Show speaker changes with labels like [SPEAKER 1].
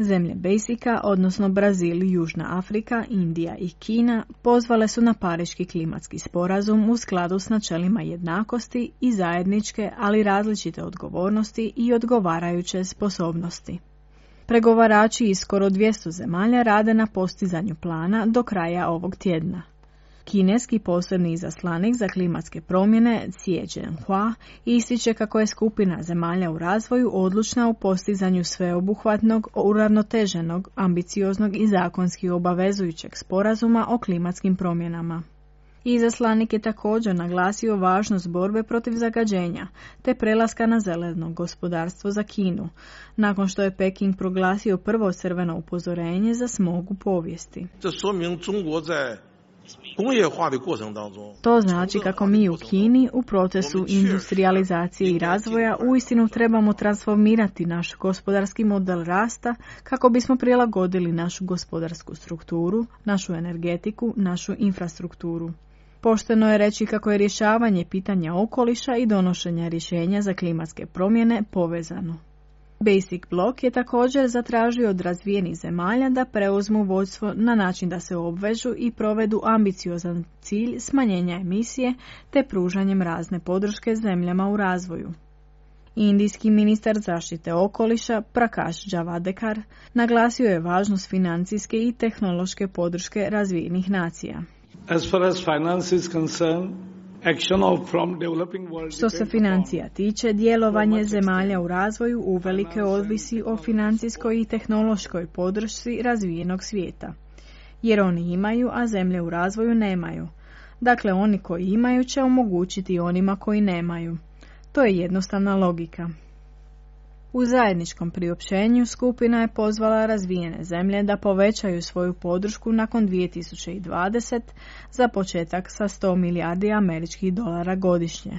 [SPEAKER 1] Zemlje BASIC-a, odnosno Brazil, Južna Afrika, Indija i Kina, pozvale su na Pariški klimatski sporazum u skladu s načelima jednakosti i zajedničke, ali različite odgovornosti i odgovarajuće sposobnosti. Pregovarači iz skoro 200 zemalja rade na postizanju plana do kraja ovog tjedna. Kineski posebni izaslanik za klimatske promjene Xie Zhenhua ističe kako je skupina zemalja u razvoju odlučna u postizanju sveobuhvatnog, uravnoteženog, ambicioznog i zakonski obavezujućeg sporazuma o klimatskim promjenama. Izaslanik je također naglasio važnost borbe protiv zagađenja te prelaska na zeleno gospodarstvo za Kinu, nakon što je Peking proglasio prvo crveno upozorenje za smog u povijesti. To znači kako mi u Kini u procesu industrijalizacije i razvoja uistinu trebamo transformirati naš gospodarski model rasta kako bismo prilagodili našu gospodarsku strukturu, našu energetiku, našu infrastrukturu. Pošteno je reći kako je rješavanje pitanja okoliša i donošenja rješenja za klimatske promjene povezano. Basic Bloc je također zatražio od razvijenih zemalja da preuzmu vodstvo na način da se obvežu i provedu ambiciozan cilj smanjenja emisije te pružanjem razne podrške zemljama u razvoju. Indijski ministar zaštite okoliša Prakash Javadekar naglasio je važnost financijske i tehnološke podrške razvijenih nacija.
[SPEAKER 2] As far as finance is concerned,
[SPEAKER 1] što se financija tiče, djelovanje zemalja u razvoju uvelike ovisi o financijskoj i tehnološkoj podršci razvijenog svijeta. Jer oni imaju, a zemlje u razvoju nemaju. Dakle, oni koji imaju će omogućiti onima koji nemaju. To je jednostavna logika. U zajedničkom priopćenju skupina je pozvala razvijene zemlje da povećaju svoju podršku nakon 2020 za početak sa $100 milijardi američkih dolara godišnje.